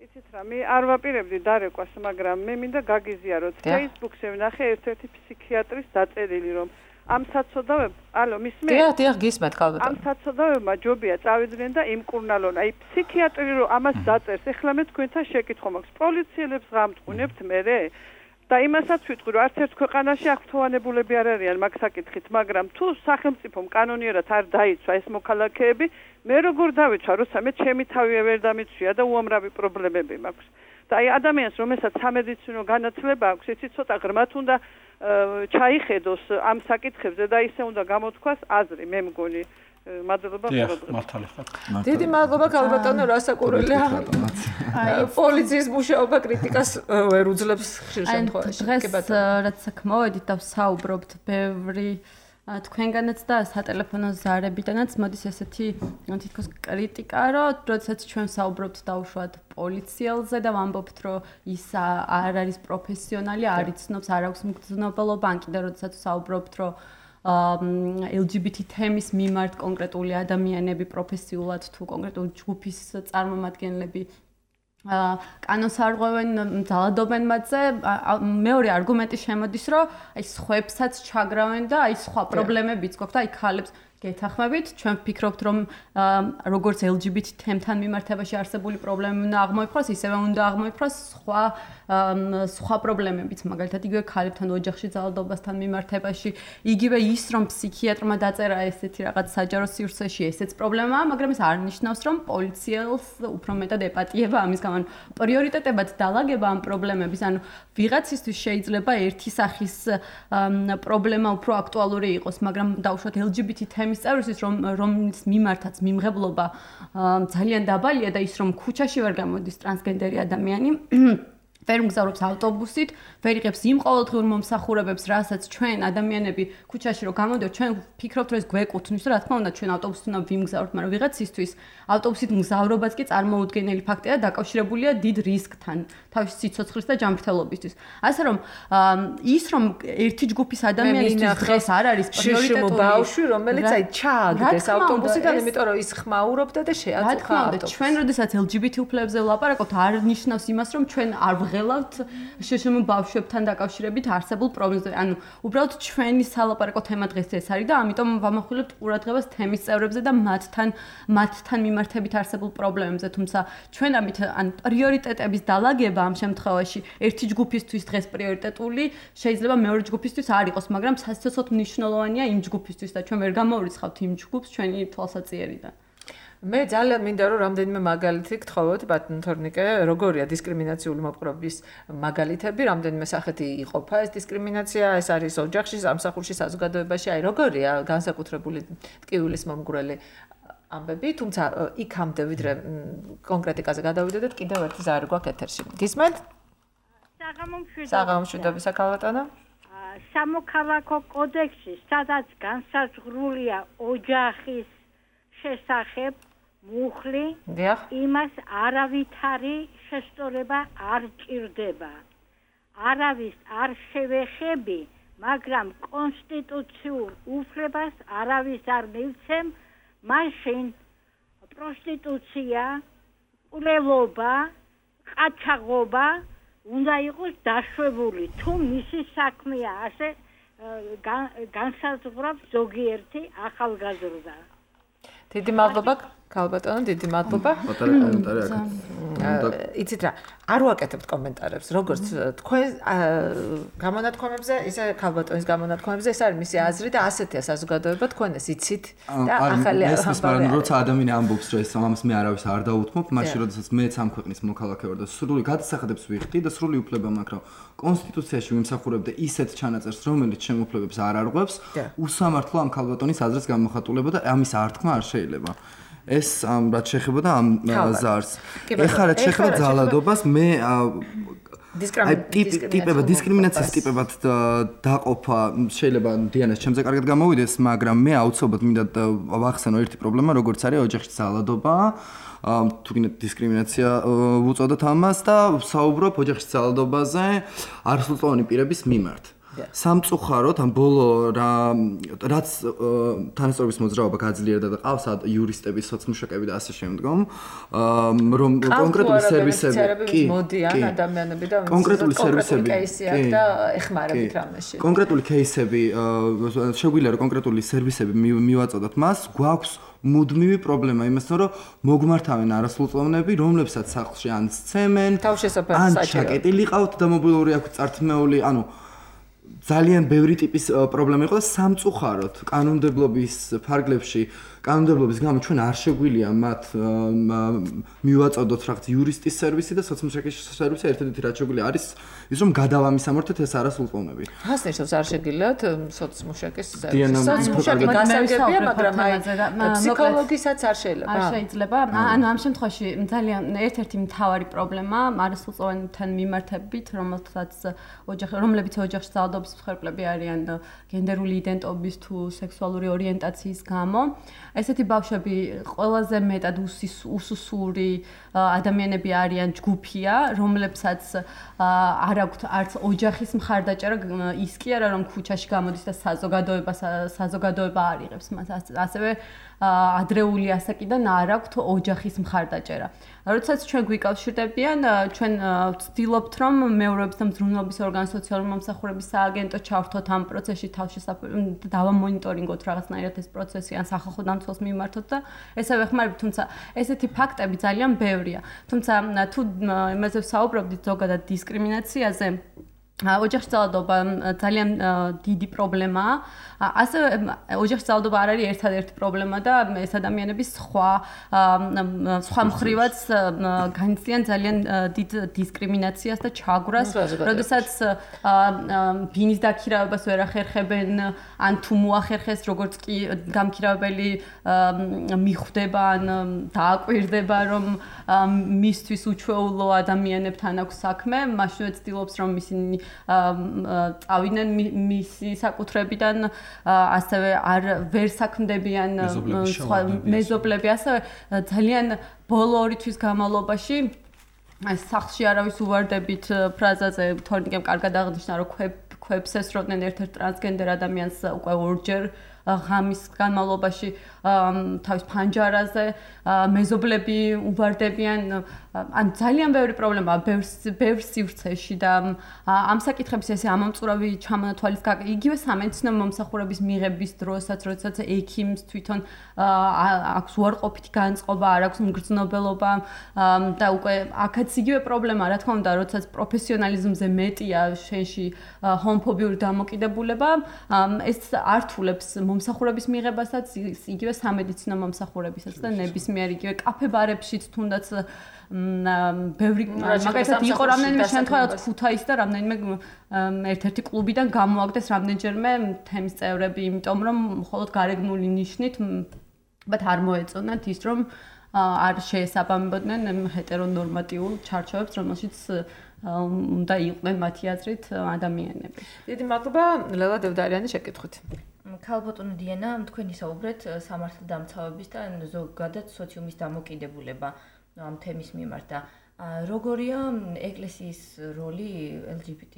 Speaker 7: იცით რა, მე არ ვაპირებდი დარეკვას, მაგრამ მე მინდა გაგიზიაროთ. Facebook-ზე ვნახე ერთ-ერთი ფსიქიატრის დაწერილი, რომ ამ საცოდავებ, ალო, მისმენთ?
Speaker 2: დიახ, გისმენთ ხალბატონო.
Speaker 7: ამ საცოდავებმა ჯობია წავიდნენ და იმკურნალონ. აი, ფსიქიატრი რომ ამას დაწერს, ეხლა მე თქვენთან შეკითხვა მაქვს. პოლიციელებს გამტყუნებთ მერე? და იმასაც ვიტყვი, რომ არც ერთ ქვეყანაში აღფრთოვანებულები არ არიან მაგ საკითხით, მაგრამ თუ სახელმწიფომ კანონიერად არ დაიცვა ეს მოქალაქეები, მე როგორ დავიცვა, როცა მე ჩემი თავი ვერ დამიცვია და უამრავი პრობლემები მაქვს. და აი ადამიანს, რომელსაც სამედიცინო განათლება აქვს, იცით, ცოტა ღრმად უნდა ჩაიხედოს ამ საკითხებზე და ისე უნდა გამოთქვას აზრი, მე მგონი. მადლობა
Speaker 1: მართალი ხარ.
Speaker 2: დიდი მადლობა ქალბატონო, რასაკვირველია. პოლიციის მუშაობა კრიტიკას ვერ უძლებს ხშირ შემთხვევაში.
Speaker 3: დღეს რაც საქმოვედით და ვსაუბრობთ ბევრი თქვენგანაც და სატელეფონო ზარებიდანაც მოდის ესეთი თითქოს კრიტიკა, რომ როდესაც ჩვენ ვსაუბრობთ დაუშვათ პოლიციელზე და ვამბობთ, რომ ის არ არის პროფესიონალი, არ იცნობს, არ აქვს მგრძნობელობა, ან კიდე როდესაც ვსაუბრობთ, რომ LGBT თემის მიმართ კონკრეტული ადამიანები პროფესიულად თუ კონკრეტული ჯგუფის წარმომადგენლები კანონს არღვევენ, ძალადობენ მათზე. მეორე არგუმენტი შემოდის, რომ აი სხვებსაც ჩაგრავენ და აი სხვა პრობლემებიც გვაქვს და აი ხალებს გეთახმებით, ჩვენ ვფიქრობთ, რომ როგორც LGBT თემთან მიმართებაში არსებული პრობლემები უნდა აღმოიფხვრას, ისევე უნდა აღმოიფხვრას სხვა პრობლემებიც, მაგალითად იგივე ქალებთან ოჯახში ძალადობასთან მიმართებაში, იგივე ის, რომ ფსიქიატრმა დაწერა ესეთი რაღაც საჯარო სივრცეში, ესეც პრობლემაა, მაგრამ ეს არ ნიშნავს, რომ პოლიციელს უფრო მეტად ეპატიება ამის გამო. პრიორიტეტებად დალაგება ამ პრობლემების, ანუ ვიღაცისთვის შეიძლება ერთი სახის პრობლემა უფრო აქტუალური იყოს, მაგრამ დაუშვათ LGBT თემის წევრისთვის, რომლის მიმართაც მიმღებლობა ძალიან დაბალია და ის რომ ქუჩაში ვერ გამოდის ტრანსგენდერი ადამიანი ვერ მგზავრობს ავტობუსით, ვერ იღებს იმ ყოველდღიურ მომსახურებებს, რასაც ჩვენ ადამიანები ქუჩაში რო გამოდიოთ, ჩვენ ვფიქრობთ, რომ ეს გვეკუთვნის, რა თქმა უნდა, ჩვენ ავტობუსით უნდა ვიმგზავროთ, მაგრამ ვიღაცისთვის ავტობუსით მგზავრობაც კი წარმოუდგენელი ფაქტია და დაკავშირებულია დიდ რისკთან, თავისი სიცოცხლის და ჯანმრთელობისთვის. ასე რომ ის რომ ერთი ჯგუფის ადამიანისთვის დღეს არ არის პრიორიტეტული
Speaker 2: ბავშვი, რომელიც აი ჩააგდეს ავტობუსიდან, იმიტომ რომ ის ხმაურობდა და შეაწუხა ავტობუსს.
Speaker 3: ჩვენ როდესაც LGBT უფლებებზე ვლაპარაკობთ, არ ნიშნავს იმას, რომ ჩვენ არ ვღელავთ შეშმო ბავშვებთან დაკავშირებით არსებულ პრობლემებზე. ანუ უბრალოდ ჩვენი სალაპარაკო თემა დღეს ეს არის და ამიტომ ვამახვილებთ ყურადღებას თემის წევრებზე და მათთან მიმართებით არსებულ პრობლემებზე. თუმცა ჩვენ ამით ან პრიორიტეტების დალაგება ამ შემთხვევაში ერთი ჯგუფისთვის დღეს პრიორიტეტული, შეიძლება მეორე ჯგუფისთვის არ იყოს, მაგრამ სასიცოცხლოდ მნიშვნელოვანია იმ ჯგუფისთვის და ჩვენ ვერ გამოვრიცხავთ იმ ჯგუფს ჩვენი თვალსაჩინარიდან.
Speaker 2: მე ძალიან მინდა რომ რამდენიმე მაგალითი გთხოვოთ ბატონ თორნიკე, როგორია დისკრიმინაციული მოპყრობის მაგალითები, რამდენიმე სახეთი იყოფა ეს დისკრიმინაცია, ეს არის ოჯახში, სამსახურში, საზოგადოებაში, აი როგორია განსაკუთრებული ტკივილის მომგვრელი ამბები, თუმცა იქამდე ვიდრე კონკრეტიკაზე გადავიდოდეთ, კიდევ ერთი ზარი გვაქვს ეთერში. გისმენთ? საღამომშვიდობისა ქალბატონო.
Speaker 8: სამოქალაქო კოდექსში, სადაც განსაზღვრულია ოჯახის შესახებ მუხლი, იმას არავითარი შესწორება არ ჭირდება. არავის არ შევეხები, მაგრამ კონსტიტუციურ უფლებას არავის არ მივცემ, მაშინ პროსტიტუცია, ყრელობა, ყაჩაღობა უნდა იყოს დაშვებული, თუ მისი საქმეა ასე განსაზღვრავს ზოგიერთი ახალგაზრდა.
Speaker 2: დიდი მადლობა ქალბატონო, დიდი მადლობა. იცით რა, არ ვაკეთებთ კომენტარებს, როგორც თქვენ გამონათქვამებზე, ისე ქალბატონის გამონათქვამებზე, ეს არის მისი აზრი და ასეთია საზოგადოება, თქვენ ეს იცით და ახალი
Speaker 4: ამბავი. როცა ადამიანი ამბობს, რომ ეს ამას მე არავის არ დაუთმობ, მაშინ როდესაც მეც ამ ქვეყნის მოქალაქე ვარ და სრული გადასახადებს ვიხდი და სრული უფლება მაქვს, რომ კონსტიტუციაში ვიმსახურებ და ისეთ ჩანაწერს, რომელიც ჩემ უფლებებს არ არღვევს, უსამართლო ამ ქალბატონის აზრის გამოხატულება და ამის ართქმა არ შეიძლება. ეს რაც შეეხებოდა ამ ზარს. ეხლა რაც შეეხება ძალადობას, მე დისკრიმინაციის ტიპებად დაყოფა შეიძლება დიანას ჩემზე კარგად გამოვიდეს, მაგრამ მე აუცილებლად მინდა ვახსენო ერთი პრობლემა, როგორც არის ოჯახში ძალადობა. თუ გინდათ დისკრიმინაცია უწოდოთ ამას და საუბრობ ოჯახში ძალადობაზე არასრულწლოვანი პირების მიმართ. სამწუხაროდ ამ ბოლო რაც თანასწორობის მოძრაობა გაძლიერდა და ყავს იურისტები, სოციმუშაკები და ასე შემდგომ, რომ კონკრეტული სერვისები
Speaker 2: მოდიან ადამიანები და
Speaker 4: კონკრეტული სერვისები
Speaker 2: და ეხმარებით რამეში.
Speaker 4: კონკრეტული кейსები შეგვიძლია რომ კონკრეტული სერვისები მივაწოდოთ მას, გვაქვს მუდმივი პრობლემა იმასთან, რომ მოგმართავენ არასრულწლოვნები, რომლებსაც სახლში ან სცემენ, ან ჩაკეტილი ყავთ და მობილური აქვს წართმეული, ანუ ძალიან ბევრი ტიპის პრობლემა იყო და სამწუხაროდ კანონმდებლობის ფარგლებში კანონმდებლობის გამო ჩვენ არ შეგვიძლია მათ მივაწოდოთ რაღაც იურისტის სერვისი და სოციმუშაკის სერვისი ერთადერთი რაც შეგვიძლია არის ის რომ გადავამისამართოთ ეს არასრულწლოვნები.
Speaker 2: რას ნიშნავს არ შეგიძლიათ სოციმუშაკის სერვისი? სოციმუშაკი გასაგებია, მაგრამ აი ფსიქოლოგისაც არ შეიძლება.
Speaker 3: არ შეიძლება. ანუ ამ შემთხვევაში ძალიან ერთ-ერთი მთავარი პრობლემა არასრულწლოვანებთან მიმართებით, რომლებიც ოჯახში ძალადობა უმცროსობის მსხვერპლები არიან გენდერული იდენტობის თუ სექსუალური ორიენტაციის გამო. ესეთი ბავშვები ყველაზე მეტად უსუსური ადამიანები არიან ჯგუფია, რომლებსაც არ აქვთ არც ოჯახის მხარდაჭერა, ის კი არა რომ ქუჩაში გამოდის და საზოგადოება არ იღებს მას, ასევე ადრეული ასაკიდან არ აქვთ ოჯახის მხარდაჭერა. როდესაც ჩვენ გვიკავშირდებიან, ჩვენ ვცდილობთ რომ მეურვეობის და მზრუნველობის ორგანო სოციალური მომსახურების სააგენტო ჩავერთოთ ამ პროცესში თავშესაფრებოდ და დავამონიტორინგოთ რაღაცნაირად ეს პროცესი ან სახალხო დამცველს მიმართოთ და ესა ვეხმარებით, თუმცა ესეთი ფაქტები ძალიან ბევრია. თუმცა თუ იმაზე ვსაუბრობდით ზოგადად დისკრიმინაციაზე, ოჯახში ძალადობა ძალიან დიდი პრობლემაა. ასევე ოჯახში ძალადობა არ არის ერთადერთი პრობლემა და ეს ადამიანების სხვა მხრივაც განიცდიან ძალიან დიდ დისკრიმინაციას და ჩაგვრას, როდესაც ბინის დაქირავებას ვერ ახერხებენ, ან თუ მოახერხეს, როგორც კი გამქირავებელი მიხვდება ან დააკვირდება, რომ მისთვის უჩვეულო ადამიანებთან აქვს საქმე, მაშინვე ცდილობს რომ ისინი წავიდნენ მისი საკუთრებიდან, ასევე არ ვერ საქმდებიან მეზობლები, ასევე ძალიან ბოლო 2 თვის განმავლობაში სახლში არავის უვარდებით ფრაზაზე თორნიკემ კარგად აღნიშნა, რომ ქვებს ესროდნენ ერთ-ერთ ტრანსგენდერ ადამიანს უკვე ორჯერ ღამის განმავლობაში თავის ფანჯარაზე, მეზობლები უვარდებიან, ან ძალიან ბევრი პრობლემაა ბევრ სივრცეში და ამ საკითხების ესე ამომწურავი ჩამონათვალის იგივე სამედიცინო მომსახურების მიღების დროსაც, როდესაც ექიმს თვითონ აქვს უარყოფითი განწყობა, არ აქვს მგრძნობელობა და უკვე აქაც იგივე პრობლემაა, რა თქმა უნდა, როდესაც პროფესიონალიზმზე მეტია შენში ჰომოფობიური დამოკიდებულება, ეს ართულებს მომსახურების მიღებასაც, იგივე სამედიცინო მომსახურებისაც და ნებისმიერ იგივე კაფე-ბარებშიც თუნდაც ბევრი მაგალითად იყო რამდენიმე შემთხვევა ქუთაისში და რამდენიმე ერთ-ერთი კლუბიდან გამოაგდეს რამდენჯერმე თემის წევრები, იმიტომ რომ მხოლოდ გარეგნული ნიშნით არ მოეწონათ ის რომ არ შეესაბამებოდნენ ჰეტერონორმატიულ ჩარჩოებს, რომელშიც უნდა იყვნენ მათი აზრით ადამიანები.
Speaker 2: დიდი მადლობა ლელა დევდარიანი შეკითხვით.
Speaker 9: ქალბატონო დიანა, თქვენ ისაუბრეთ სამართალდამცავების და ზოგადად სოციუმის დამოკიდებულება ამ თემის მიმართ და როგორია ეკლესიის როლი LGBT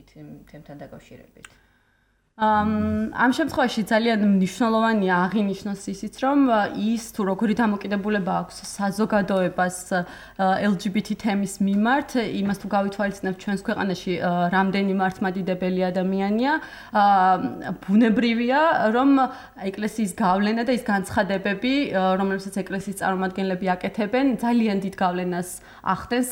Speaker 9: თემთან დაკავშირებით?
Speaker 3: ამ შემთხვევაში ძალიან მნიშვნელოვანია აღინიშნოს ისიც, რომ ის თუ როგორი დამოკიდებულება აქვს საზოგადოებას LGBT თემის მიმართ, იმას თუ გავითვალისწინებთ ჩვენს ქვეყანაში რამდენი მართლმადიდებელი ადამიანია, ბუნებრივია, რომ ეკლესიის გავლენა და ის განცხადებები, რომლებსაც ეკლესიის წარმომადგენლები აკეთებენ, ძალიან დიდ გავლენას ახდენს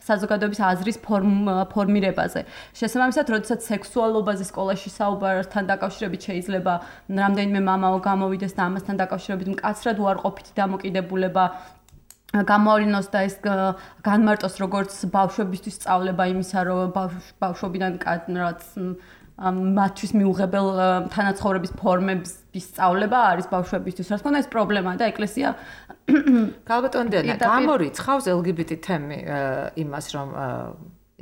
Speaker 3: საზოგადოების აზრის ფორმირებაზე. შესაბამისად, როდესაც სექსუალობაზე სკოლაში საუბარს თან დაკავშირებით შეიძლება რამდენიმე მამაო გამოვიდეს და ამასთან დაკავშირებით მკაცრად უარყოფითი დამოკიდებულება გამოავლინოს და ეს განმარტოს როგორც ბავშვებისთვის სწავლება იმისა, რომ ბავშვობიდან რაც მათთვის მიუღებელ თანაცხოვრების ფორმების სწავლება არის ბავშვებისთვის. რა თქმა უნდა, ეს პრობლემაა და ეკლესია
Speaker 2: ქალბატონო დიანა, გამორიცხავს LGBT თემი იმას, რომ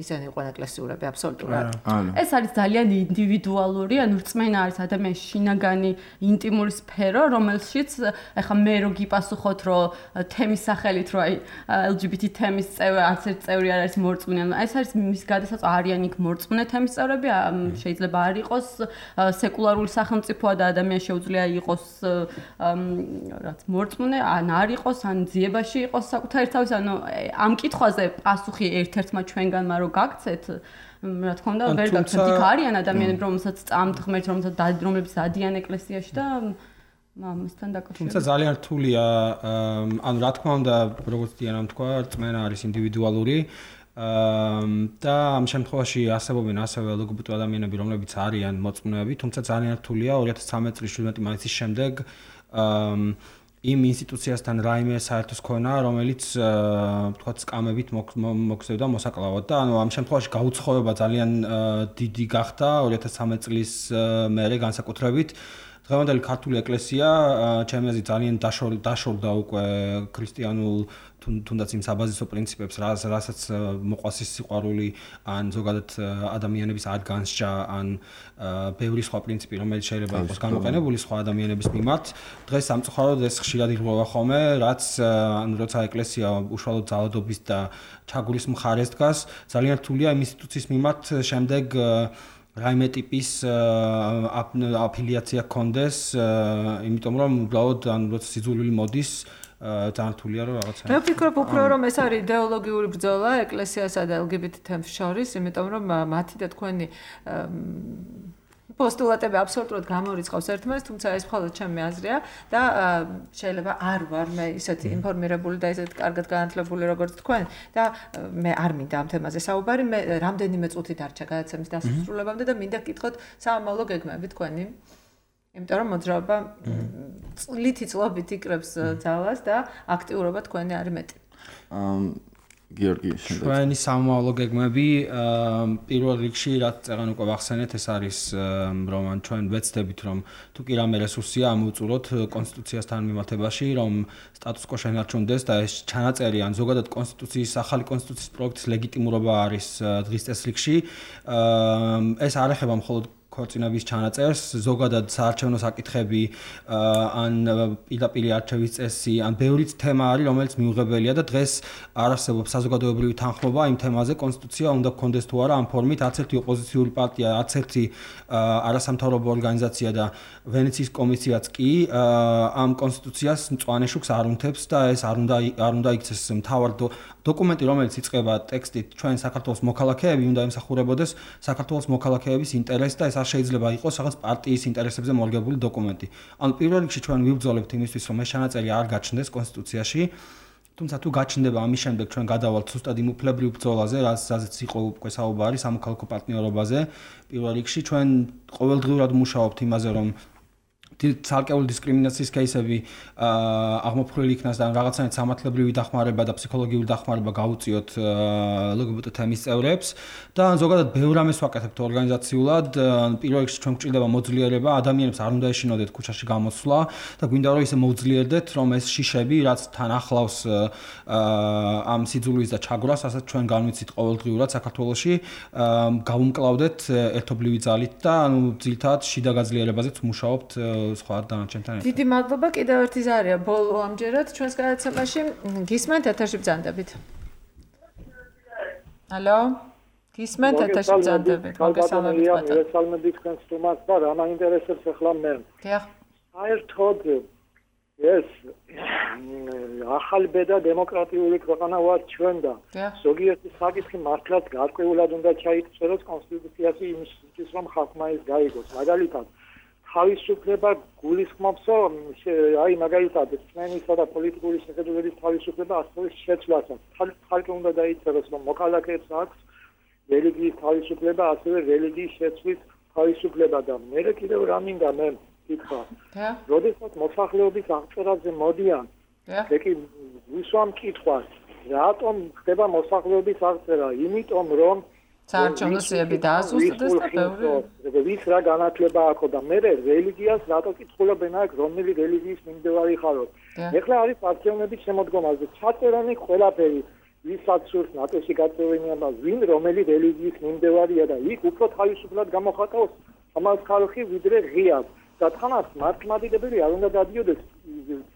Speaker 2: ისინი იყვნენ ეკლესიურები აბსოლუტურად.
Speaker 3: ეს არის ძალიან ინდივიდუალური, ანუ რწმენა არის ადამიანის შინაგანი ინტიმური სფერო, რომელშიც ეხლა მე რო გიპასუხოთ, რომ თემის სახელით რო აი LGBT თემის წევრი, არც ერთ წევრი არ არის მორწმუნე, ანუ ეს არის მის გადასაწყვეტი არიან იქ მორწმუნე თემის წევრები, შეიძლება არ იყოს სეკულარული სახელმწიფოა და ადამიანს შეუძლია იყოს რაც მორწმუნე, ან არ იყოს, ან ძიებაში იყოს საკუთარი თავის, ანუ ამ კითხვაზე პასუხი ერთ-ერთმა ჩვენგანმა გაგცეთ, რა თქმა უნდა, ვერ გაგცეთ. იქ არიან ადამიანები, რომელსაც წამთ ღმერთს, რომლებიც დადიან ეკლესიაში და ამასთან დაკავშირებით.
Speaker 1: თუმცა ძალიან რთულია, ანუ რა თქმა უნდა, როგორც დიანამ თქვა, რწმენა არის ინდივიდუალური და ამ შემთხვევაში არსებობენ ასევე LGBT ადამიანები, რომლებიც არიან მოწმუნეები, თუმცა ძალიან რთულია 2013 წლის 17 მაისის შემდეგ იმ ინსტიტუციასთან რაიმე საერთოს ქონა, რომელიც თქვა სკამებით მოგზევდა მოსაკლავად და ანუ ამ შემთხვევაში გაუცხოება ძალიან დიდი გახდა 2013 წლის მერე განსაკუთრებით დღევანდელი ქართული ეკლესია ჩემი აზრით ძალიან დაშორდა უკვე ქრისტიანულ თუნდაც იმ საბაზისო პრინციპებს, რასაც მოყვას ის სიყვარული, ან ზოგადად ადამიანების ადგანსჯა, ან ბევრი სხვა პრინციპი, რომელიც შეიძლება იყოს გამოყენებული სხვა ადამიანების მიმართ. დღეს სამწუხაროდ ეს ხშირად ირღვევა ხოლმე, რაც როცა ეკლესია უშუალოდ ძალადობის და ჩაგულის მხარეს დგას, ძალიან რთულია იმ ინსტიტუციის მიმართ შემდეგ რაიმე ტიპის აფილიაცია კონდეს, იმიტომ რომ უბრალოდ ან როცა სიძულვილი მოდის ძალიან რთულია რომ რაღაცა.
Speaker 2: მე ვფიქრობ უფრო რომ ეს არის იდეოლოგიური ბრძოლა ეკლესიასა და LGBT თემს შორის, იმიტომ რომ მათი და თქვენი პოსტულატები აბსოლუტურად გამორიცხავს ერთმანეთს, თუმცა ეს მხოლოდ ჩემი აზრია და შეიძლება არ ვარ მე ისეთი ინფორმირებული და ისეთი კარგად განათლებული როგორც თქვენ და მე არ მინდა ამ თემაზე საუბარი, მე რამდენიმე წუთი დარჩა გადაცემის დასასრულებამდე და მინდა გკითხოთ სამომავლო გეგმები თქვენი. იმიტომ რომ მოძრაობა წლითი წლობით იკრებს ძალას და აქტიურობა თქვენი არის მეტი.
Speaker 4: გიორგი,
Speaker 1: ჩვენი სამომავლო გეგმები პირველ რიგში რაც წეგან უკვე ვახსენეთ, ეს არის რომ ჩვენ ვეცდებით რომ თუ კი რამე რესურსია ამოვწუროთ კონსტიტუციასთან მიმართებაში, რომ სტატუს კო შენარჩუნდეს და ეს ჩანაწერი ან ზოგადად კონსტიტუციის ახალი კონსტიტუციის პროექტის ლეგიტიმურობა არის დღის წესრიგში. ეს არ ეხება მხოლოდ ქორწინების ჩანაწერს, ზოგადად საარჩევნო საკითხები, ან პირდაპირ არჩევის წესი, ან ბევრიც თემა არის, რომელიც მიუღებელია და დღეს არ არსებობს საზოგადოებრივი თანხმობა იმ თემაზე, კონსტიტუცია უნდა გქონდეს თუ არა ამ ფორმით, არც ერთი ოპოზიციური პარტია, არც ერთი არასამთავრობო ორგანიზაცია და ვენეციის კომისიაც კი ამ კონსტიტუციას მწვანე შუქს არ უნთებს და ეს არ უნდა იქცეს მთავარ დოკუმენტი, რომელიც იწყება ტექსტით ჩვენ საქართველოს მოქალაქეები უნდა ემსახურებოდეს საქართველოს მოქალაქეების ინტერესს და ეს არ შეიძლება იყოს რაღაც პარტიის ინტერესებზე მორგებული დოკუმენტი. ანუ პირველ რიგში ჩვენ ვიბრძოლებთ იმისთვის, რომ ეს ჩანაწერი არ გაჩნდეს კონსტიტუციაში. თუმცა თუ გაჩნდება ამის შემდეგ ჩვენ გადავალთ ზუსტად იმ უფლებრივ ბრძოლაზე, რაზეც იყო უკვე საუბარი სამოქალაქო პარტნიორობაზე. პირველ რიგში ჩვენ ყოველდღიურად მუშაობთ იმაზე, რომ ცალკეული დისკრიმინაციის კეისები აღმოფხვრილი იქნას და რაღაცნაირად სამართლებრივი დახმარება და ფსიქოლოგიური დახმარება გაუწიოთ LGBT თემის წევრებს და ზოგადად ბევრ რამეს ვაკეთებთ ორგანიზაციულად. პირველ რიგში ჩვენ გვჭირდება მოძლიერება, ადამიანებს არ უნდა ეშინოდეთ ქუჩაში გამოსვლა და გვინდა რომ ისე მოძლიერდეთ, რომ ეს შიშები, რაც თან ახლავს ამ სიძულვის და ჩაგვრას, რასაც ჩვენ განვიცით ყოველდღიურად საქართველოში, გავუმკლავდეთ ერთობლივი ძალით და ძირითადად შიდა გაძლიერებაზეც მუშაობთ სხვა დანარჩენთან ერთად.
Speaker 2: დიდი მადლობა კიდევ ერთი ზარია ბოლო ამჯერად ჩვენს გადაცემაში. გისმენთ ეთერში ბრძანდებით. ალო? გისმენთ ეთერში ბრძანდებით. მოგესალმებით ბატონო.
Speaker 10: მოგესალმებით თქვენს სტუმარს და რა მაინტერესებს ახლა მე.
Speaker 2: დიახ.
Speaker 10: საერთოდ ეს ახალი ბედა დემოკრატიული ქვეყანა ვართ ჩვენ და ზოგიერთი საკითხი მართლაც გარკვეულად უნდა ჩაიწეროს კონსტიტუციაში იმისთვის რომ ხალხმა ის გაიგოს. მაგალითად თავისუფლება გულისხმობს აი მაგალითად წმენისა და პოლიტიკური შეხედულების თავისუფლება ასევე შეცვლასაც. ხალხი უნდა დაიწეროს რომ მოქალაქეებს აქვს რელიგიის თავისუფლება, ასევე რელიგიის შეცვლის თავისუფლება და მე კიდევ რა მინდა მე ვკითხა. როდესაც მოსახლეობის აღწერაზე მოდიან, მე კი ვისვამ კითხვას, რატომ ხდება მოსახლეობის აღწერა? იმიტომ რომ
Speaker 2: საარჩევნო სიები დაასუსტდეს და ბევრი
Speaker 10: ვის რა განათლება აქვს და მე რელიგიას რატო კითხულობენ აქ რომელი რელიგიის მიმდევარი ხაროთ. ეხლა არის არჩევნების შემოდგომაზე ჩაწერანი ყველაფერი ვისაც სურს ნატოში გაწევენია და ვინ რომელი რელიგიის მიმდევარია და იქ უფრო თავისუფლად გამოხატავს ამას ხალხი ვიდრე ღიად და თანაც მართლმადიდებელი არ უნდა დადიოდეს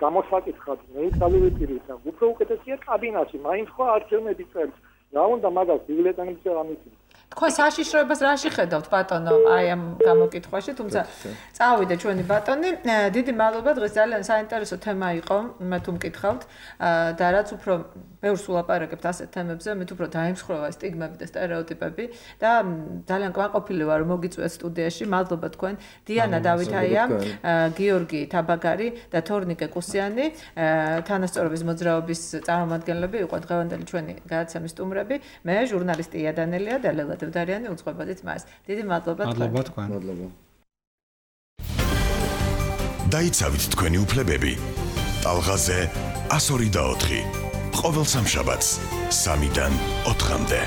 Speaker 10: გამოსაკითხად ნეიტრალური პირით და უფრო უკეთესია კაბინეტში მაინც ხო არჩევნები წერს რა უნდა მაგას ბიბლიოთეკაში ამისი
Speaker 2: თქვენ საშიშროებას რაში ხედავთ ბატონო აი ამ გამოკითხვაში თუმცა წავიდე ჩვენი ბატონი დიდი მადლობა დღეს ძალიან საინტერესო თემა იყო მე თუ მკითხავთ და რაც უფრო ბევრს ვლაპარაკებთ ასეთ თემებზე მე უფრო დაიმსხვრევა სტიგმები და სტერეოტიპები და ძალიან კმაყოფილი ვარ რომ მოგიწვიეთ სტუდიაში მადლობა თქვენ დიანა დავითაია გიორგი თაბაგარი და თორნიკე კუსიანი თანასწორობის მოძრაობის წარმომადგენლები იყო დღევანდელი ჩვენი გადაცემის სტუმრები მე ჟურნალისტი იადანელია და ლელა დევდარიანი უწყობოდით მას. დიდი მადლობა თქვენ.
Speaker 1: მადლობა თქვენ.
Speaker 4: მადლობა.
Speaker 11: დაიცავით თქვენი უფლებები. ტალღაზე 102 და 4. ყოველ სამშაბათს 3-დან 4-მდე.